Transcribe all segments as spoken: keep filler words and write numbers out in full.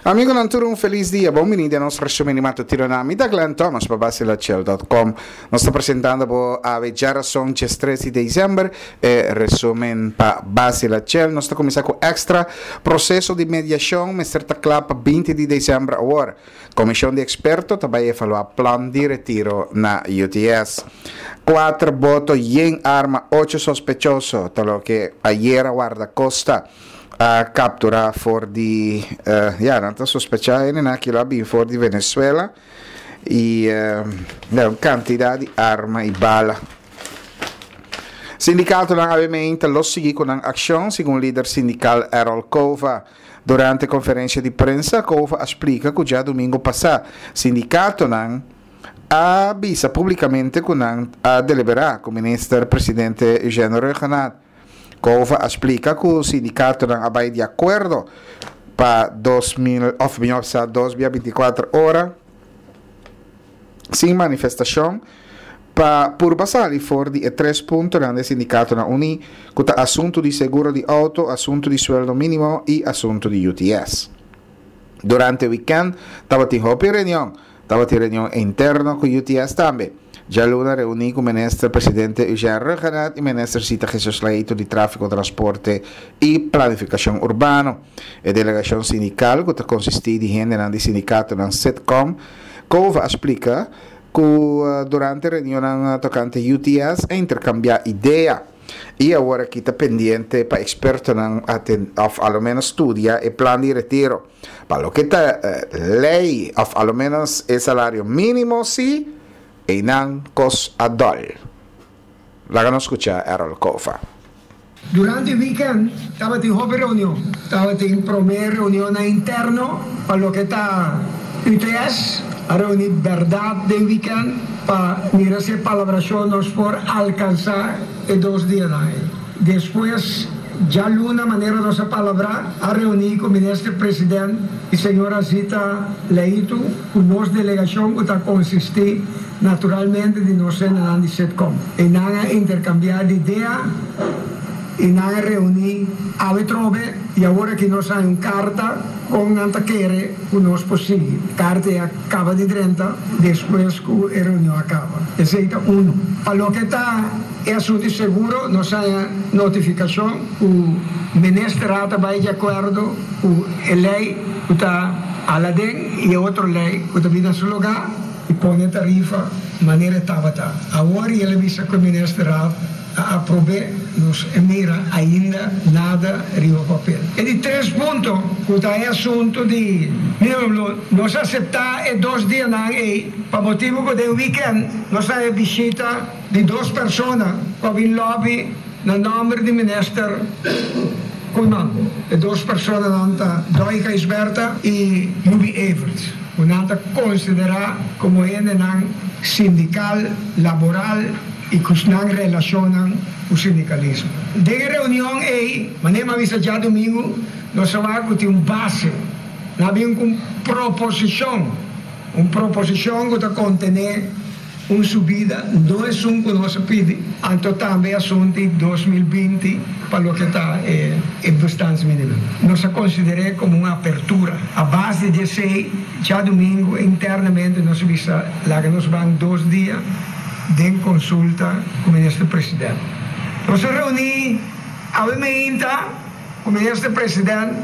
Amigonan tur, un felis dia. Bon bini den nos resumen di matutino na mi ta Glenn Thomas pa Basilachel punto com. Nos ta presentando bo awe djarason diestres di december e resumen pa Basilachel. Nos ta cuminsa cu Extra. Proceso di mediacion mester ta cla pa binti di december awor. Comision di experto ta bay evalua plan di retiro na U T S. Cuater boto yen arma, ocho sospechoso, ta loke ayera guardacosta a captura for di, eh, ja, nan ta sospecha en aki la bin for di Venezuela y, eh, ja, un cantidad di arma y bala. Sindicato nan obviamente lo sigui con acción, según líder sindical Errol Cova. Durante conferencia di prensa, Cova explica que ya domingo pasado, sindicato nan avisa públicamente que nan a deliberar con minister presidente Eugene Rhuggenaath. Cova explica que o sindicato nan abai de acuerdo pa dos mil, of mil, o sea, dos mil veinticuatro horas sin manifestación pa por pasar y for di e tres puntos nan de sindicato na uni, que ta asunto di seguro di auto, asunto di sueldo mínimo y asunto di U T S. Durante weekend taba tin hopi reunión, taba tin reunión interno con U T S también. Djaluna reuní ku minister presidente Eugene Rhuggenaath i minister Zita Jesus Leito di Tráfiko, Transporte i Planifikashon Urbano. E delegashon sindikal, ku ta konsistí di hendenan di sindikatonan SITCOM, Cova a splika ku, eh, durante reunionnan tokante U T S a interkambiá idea. I awor aki ta pendiente pa ekspertonan aten-, of a lo menos studia e plan di retiro. Pa loke ta, eh, lei, of a lo menos e salario mínimo, si, einan kos adol. Laga nos skucha Errol Cova. Durante el weekend estaba en joven reunión, estaba en primera reunión interno para lo que está U T S, a reunir verdad del weekend para mirar si palabración nos por alcanzar en dos días. Después, ya luna manera nos palabra a reunir con ministro presidente y señora Zita Leito, con nos delegación que está consistir naturalmente de nos en la SITCOM. Y nada intercambiar de idea y nada reunir a Betrobe y ahora que nos hay un carta con Antaquere que nos posible. Carta ya acaba de treinta después que la reunión acaba. Ese es uno. A lo que está el asunto seguro, nos hay notificación que el ministro va de acuerdo con la ley que está a la D E N y otra ley que está en su lugar y pone tarifa manera tabata. Ahora ele avisa que o ministro a aprobé nos mira ainda nada riba papel. E de três pontos, que está é assunto de, mira, nós aceitar é dois dias na e para motivo que de weekend nós a visita de duas pessoas que vem lobby no nome de ministro Koeiman. E duas pessoas nanta Doika Isberta e Jubi Everts. Nanta considerar como ene nan sindical, laboral e que nan relacionan o sindicalismo. De reunião ei, mané avisa já domingo, nós vamos ter um base, nós vamos com proposição, uma proposição que está contener uma subida, não é um que nós pede, então também assunto de dois mil e vinte para o que está eh, em distância mínima. Nós consideramos como uma abertura. A base de esse, já domingo, internamente, nós visa lá que nós vamos dois dias de consulta com o ministro presidente. Nós reunimos a meinta com o ministro presidente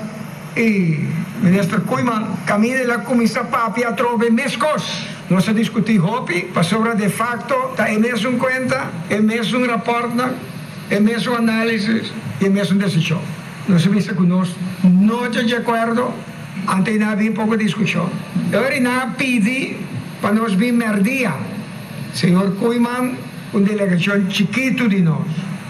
e ministro Koeiman, caminho da comissão papi a trove mescos. Nós discutimos hopi, para sobre de facto, tá em mesmo conta, em mesmo rapport, em mesmo análise e em mesmo decisão. Nós vimos que nós não estamos de acordo, antes não havia pouca discussão. Agora não pedi para nós vir merdia. Senhor Koeiman, uma delegação chiquito de nós.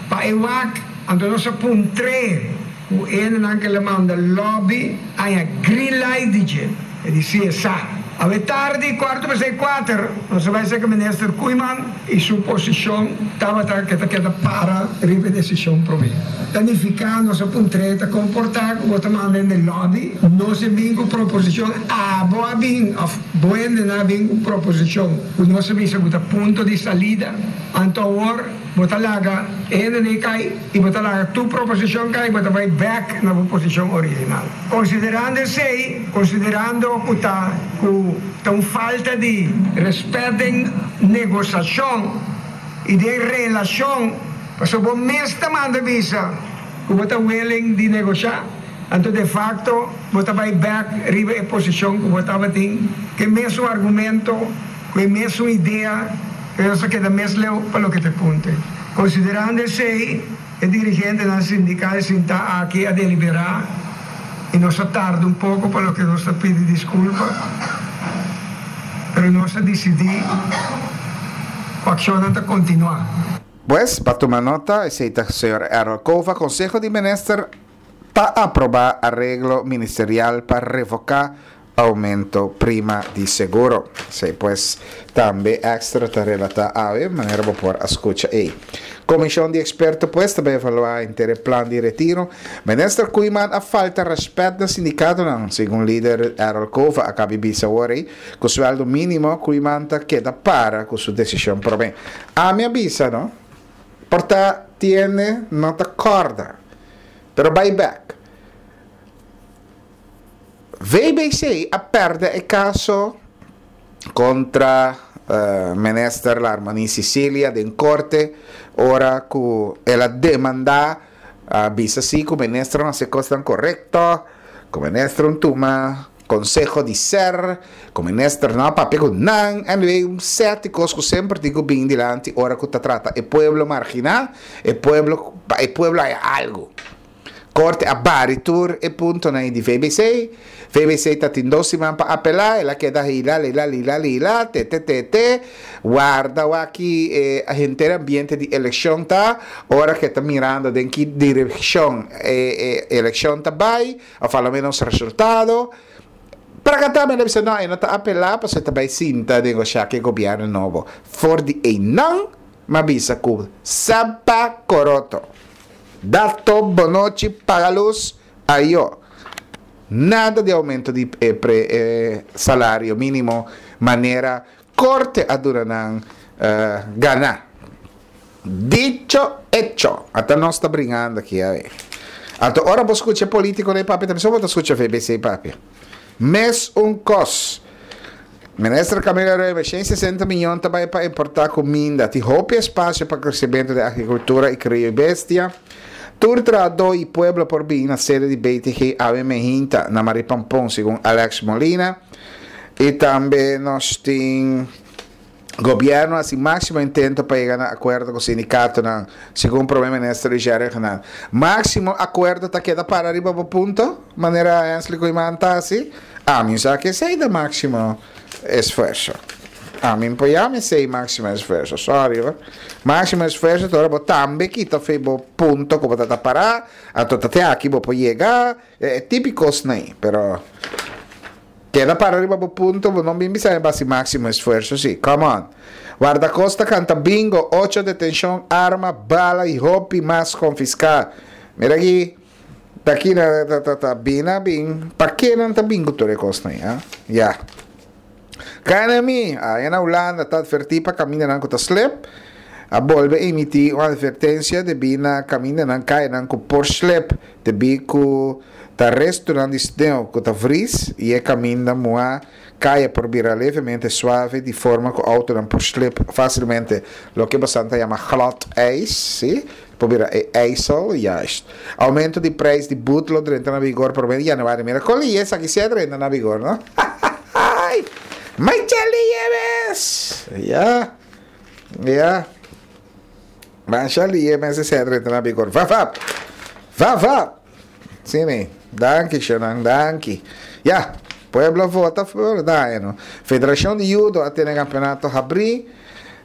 Para E W A C, então nós apontré, o N não que le manda lobby, a green light D J. E disse, sa. A ver tarde, quarto para seis, quatro, nós vai ser que o ministro Koeiman e sua posição estava que que para a decisão para mim. Danificar nossa puntreta, comportar como está mandando no lobby, não se vem com proposição, ah, boa bem, of boa não vem com proposição. O nosso vem com ponto de salida, então agora, bota laga, E hendenan kai i bo ta laga tur proposishon kai, bo ta bai bèk na bo posishon original. Konsiderando esei, konsiderando ku ta ku ta un falta di rèspèt den negosiashon i den relashon, pasobra bo mes ta manda bisa ku bo ta willing di negoshá, anto de fakto bo ta bai bèk riba e posishon ku bo tabatin, ku e mesun argumento, ku e mesun idea, pero nos a keda mes leu pa loke ta e punto. Konsiderando esei, e dirigentenan sindikal sintá aki a deliberá i nos a tarda un poko pa loke nos ta pidi diskulpa, pero nos a disidí ku akshonnan ta kontinuá. Pues, pa tuma nota, esei ta señor Errol Cova. Konseho di Minister ta aprobá areglo ministerial pa revoká oumento prima di seguro. Esei pues tambe Extra ta relatá awe, manera bo por a skucha ei. Komishon di eksperto pues ta bai evaluá henter e plan di retiro. Minister Koeiman a falta rèspèt na sindikatonan, segun lider Errol Cova a kabi bisa awor ei. Ku suèldo mínimo Koeiman ta keda para ku su desishon promé. Ami a bisa no, por ta tiene no ta kòrda, pero bai bèk. V B C a pèrdè e kaso kontra minister Larmonie Cecilia den korte ora ku el a demandá, a bisa si ku minister no hasi kosnan korekto, ku minister no tuma konseho di S E R, ku minister no a papia ku nan. Anyway, un sèt di kos ku semper tin ku bin dilanti ora ku ta trata e pueblo marginá, e pueblo, pa e pueblo haya algu. Korte a bari tur e puntonan di V B C. V B C tatin dos siman pa apelá, el a keda hila, lila, lila, lila, te, te, te, te. Warda aki eh, henter ambiente di elekshon ta, ora ku ta mirando den ki direkshon eh, eh, elekshon ta bai, òf a lo menos resultado. Para ku tambe bisa no, e no ta apelá, pasobra ta bai sinta negoshá ku gobièrnu nobo. For di einan, m'a bisa ku sapa koroto. Dato, bonochi, paga lus, ayo. Nada di oumento di eh, pre, eh, salario mínimo, manera korte a dura nan eh, gana. Dicho, hecho. Ata nos ta brincando aki, a ber. Anto, ora bo skucha polítiko ei papia, tambe bo skucha V B C papia. Mes un kos. Minister Camila Rebe, shen sesenta mion tambe pa importá kuminda. Tin hopi espasio pa kresementu di agrikultura i krio bestia. Tur trahadó i pueblo por bin na sede di B T G awe mainta na Marie Pampon, segun Alex Molina. I tambe nos tin gobièrnu a hasi máksimo intento pa yega na akuerdo ku sindikato, segun promé minister Jerry Hanan. Máksimo akuerdo ta keda para riba e punto, manera Hensley Koeiman ta asina. Ami sa ku esei ta máksimo esfuerso. Ami por yama esei máksimo esfuerso, sorry. Hoor. Máksimo esfuerso, ora bo tambe kita for di bo punto ku bo ta pará, anto te aki bo por yega, e típiko nei, pero keda para riba bo punto, bo no bin bisa base máksimo esfuerso, si. Come on. Wardakosta kanta bingo, ocho detenshon, arma, bala i hopi mas konfiská. Mira aki, ta aki na ta ta ta bina bin, pa ke nan ta bingo tur e kosnan, ya? Ya. K N M I, ei na Hulanda, ta atvertí pa kamindanan ku ta slep, a bolbe emití un atvertensia debí na kamindanan kayanan ku por slep, debí ku ta restonan di sneu ku ta vris i e kaminda muhá, kaya por bira levemente suave di forma ku outonan por slep fásilmente, loke boso ta yama glad ijs, si? Por bira e ijzel, juist. Oumento di preis di but lo drenta na vigor pa di yanüari. Mira, kon esaki si drenta na vigor, no? Michelle Yemes! Ja. Ja. Michelle Yemes si drenta na vigor. Va, va. Va, va. Si, ne? Danki, Shonan, danki. Ja, pueblo vota, pueblo da, no? Federashon di Judo a tene kampeonato habrí.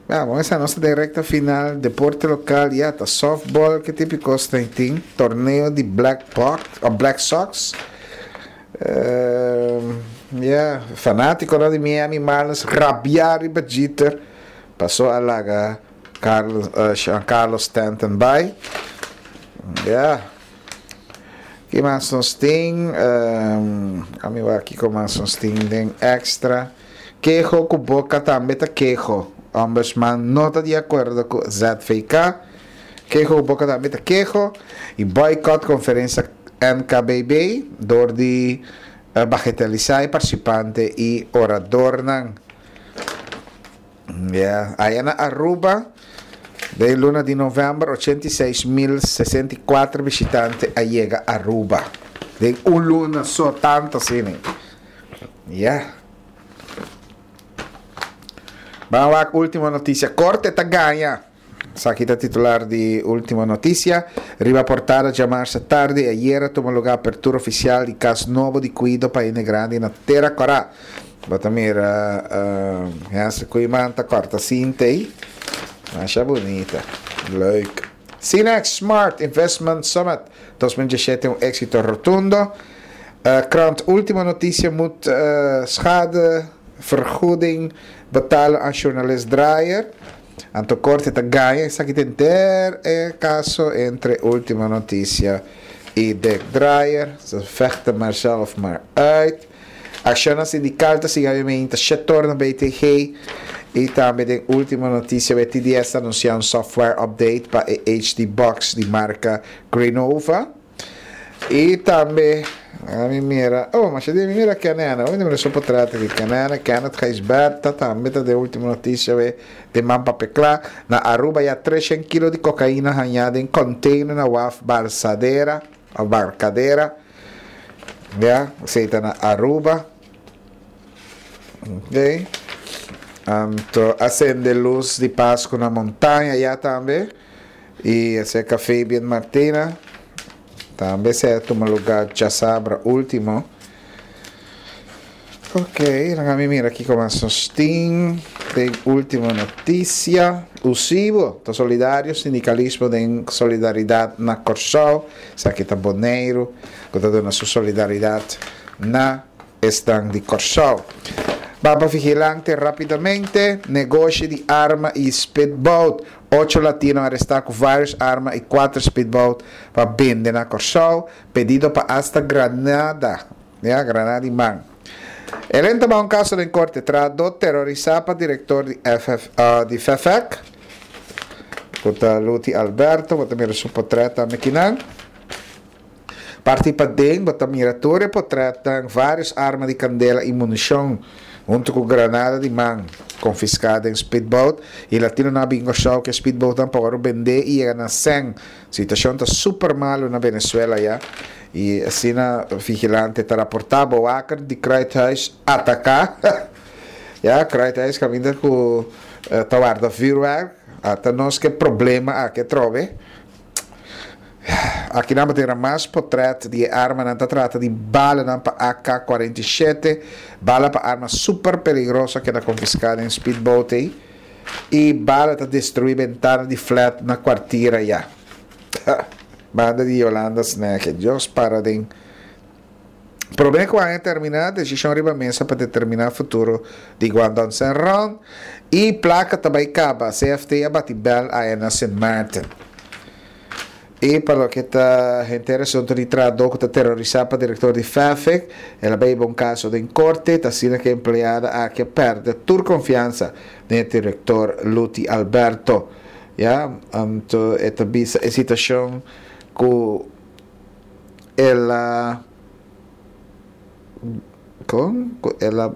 Vamos, esei ta nos rekta final. Deporte lokal, ja, ta softball, ku típiko tin. Torneo di Black Box, òf Black Sox. Uh, yeah, fanátiko di Miami Marlins, rabiá riba Jeter. Pasó a laga Carlos, uh, Giancarlo Stanton bai. Yeah. Ki mas nos tin? Um, ami aki ku mas nos tin den Extra. Keho ku boka tambe ta keho. Ombudsman no ta di akuerdo ku Z V K. Keho boka tambe ta keho i boycott konferensia N K B B dor di uh, bagatelisá e partisipante i oradornan. Yeah. Aya na Aruba, den luna di novèmber, ochenta i seis mil sesenta i kuater bishitante a yega Aruba. Den un luna so tantu asina. Yeah. Ban Ultimo Noticia. Korte ta gaña. Esaki ta titular di Ultimo Noticia. Riba portada, djamars atardi, ayera a tuma lugá apertura ofisial di kas nobo di kuido pa hende grandi na Tera Kòrá. Bo ta mira, uh, essa Koeiman ta kòrta sinta ei. Masha bunita. Leuk. Cinex Smart Investment Summit dos mil diesshete, un éksito rotundo. Uh, krant Ultimo Noticia moet uh, schadevergoeding betalen aan journalist Draaier. Anto korte ta gaña, esaki tin e kaso entre Ultimo Noticia i Dick Draaier. Ze vechten maar zelf maar uit. Akshon sindikal ta sigui obviamente sector na B T G i tambe den Ultimo Noticia B T D S a anunsiá un software update pa H D Box di marka Greenova. I tambe ami mira, oh, ma c'è di mira Canana, oi mira su portrait di Canana, Kenneth Gijsbertha, tambe ta den Ultimo Noticia we de man papecla na Aruba ya treshen kilo di kokaina hañá den container na waf Barsadera, o Barcadera. Ja, esei ta na Aruba. Ok. Anto, a sende lus di Pasku na Montaña ya tambe. I esei Fabian Martina. Tambe a tuma lugá djasabra último. Ok, laga mira aki kon nos tin den Ultimo Noticia. USIBO, ta solidario, sindikalismo den solidaridat na Kòrsou. Esaki ta Boneiru, ku ta duna su solidaridat na esnan di Kòrsou. Baba Vigilante rápidamente, negoshi di arma i speedboat. Ocho latino arestá ku vários arma i kuater speedboat pa bende na Kòrsou. Pedido pa hasta granada, ya, granada di man. El a tuma un kaso den korte, trahadó terorisá pa direktor di F F, uh, di F E F E C. Ku Luti Alberto, bo ta mira su portrèt akinan. Parti paden, bo ta mira tur e portrèt, vários arma di kandela i munishon, huntu ku granada di man, konfiská den speedboat. I latinonan a bin show ku speedboat nan pa bende i yega na sèn. Situashon ta super malu na Venezuela ya. I asina Vigilante ta raportá, bewaker di Kruidhuis ataká. Ja, Kruidhuis kaminda ku uh, ta warda vuurwerk. Ata nos ke problema aki trobe. Aki nan tin mas portrèt di arma, nan ta trata di bala nan pa A K kuarenta i shete, bala pa arma super peligroso ku a konfiská den speedboat ei. I bala ta destruí bentana di flat na Kwartira ya. Banda di Yolanda Snack, Dios para den Problema ku a terminá, desishon riba mesa pa determiná futuro di Guangdong Senron i plaka tambe kaba, C F T a bati bèl na Saint Martin. I pa loke ta henter asuntu di trahadó ku ta terorisá pa direktor di F E F E C, el a bai un kaso den korte, ta asina ku e empleado aki a pèrdè tur konfiansa den direktor Luti Alberto. Ja, anto e ta bisa e situashon ku el a kon el a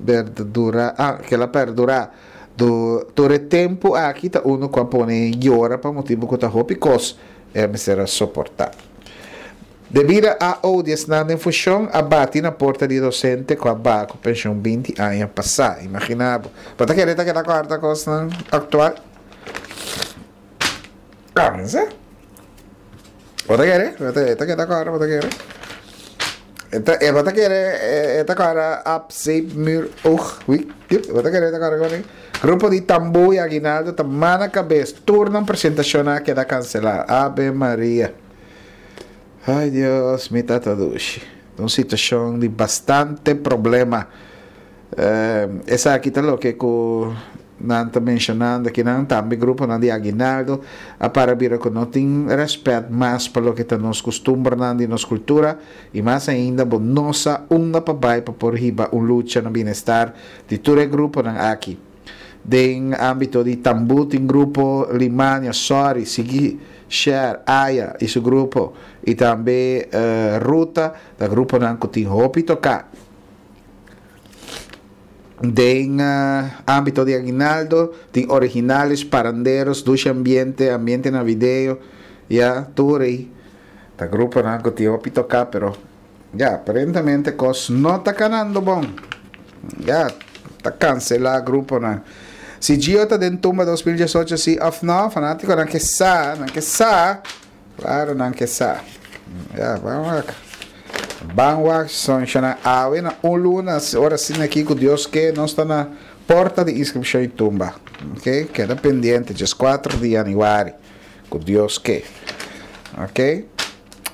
perdurá, ah, ku el a perdurá du tur e tempu aki ta unu ku a pone yora pa motibu ku ta hopi kos e mester a soportá. Debí na A O di esnan den funshon a bati na porta di dosente ku a baha ku penshon binti aña pasá. Imaginá bo. Bo ta kere ta keda kuarta kos aktual? Ah, no sé. Bo ta kere? Bo ta keda kuarta, bo ta kere? Eta, e bo ta kere, e ta kuarta ap, zeep, muur, oog, wie, bo ta kere ta kuarta kon. Grupo di tambú i aguinaldo ta man na kabes. Tur nan presentashon a keda kanselá. Ave Maria. Ai Dios, mi tata dushi. Un situashon di bastante problema. Eh, esaki ta loke ku nan ta menshonando ku nan tambe grupo nan di aguinaldo a para bira ku no tin rèspèt mas pa loke ta nos kustumber nan di nos kultura i mas ainda bo no sa unda pa bai pa por hiba un lucha na bienestar di tur e grupo nan aki. Den ámbito di tambú tin grupo Limania, Sorry, Sigui, Share, Aya i su grupo i tambe uh, Ruta, ta gruponan ku tin hopi toká. Den uh, ámbito di aguinaldo tin Originales, Paranderos, Dushi Ambiente, Ambiente Navideño, ya, tur ei. Ta gruponan ku tin hopi toká, pero ya, aparentemente kos no ta kanando bon. Ya, ta kanselá gruponan. Si Gio ta den Tumba dos mil diesocho si òf no, fanátikonan ke sa, nan ke sa, klaro nan ke sa. Ya, ban wak. Ban wak, son shana awe na un luna, ora asina aki ku Dios ke, nos ta na porta di inskripshon di Tumba. Ok, keda pendiente, dieskuater di yanüari, ku Dios ke. Ok.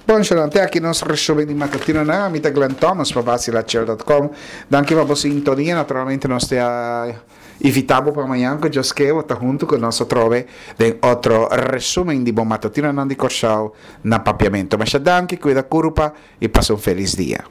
Bon, shana, te aki nos resumen di matutinonan. Ami ta Glenn Thomas pa Vacilachel dot com. Danki pa bo sintonia. Naturalmente nos te a invitá bo pa mañan ku Dios ke bo ta huntu ku nos atrobe den otro resumen di bo matutinonan di Kòrsou na Papiamentu. Masha danki, kuida kurpa i pasa un felis dia.